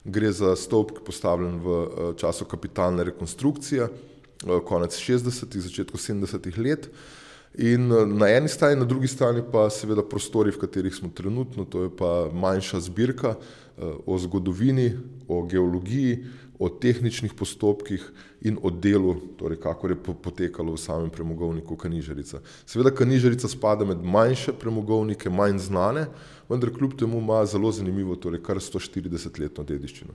Gre za stolp, ki je postavljen v času kapitalne rekonstrukcije, konec 60-ih, začetku 70-ih let. In na eni strani, na drugi strani pa seveda prostori, v katerih smo trenutno, to je pa manjša zbirka o zgodovini, o geologiji, o tehničnih postopkih in o delu, torej kakor je potekalo v samem premogovniku Kanižarica. Seveda Kanižarica spada med manjše premogovnike, manj znane, vendar kljub temu ima zelo zanimivo, torej kar 140-letno dediščino.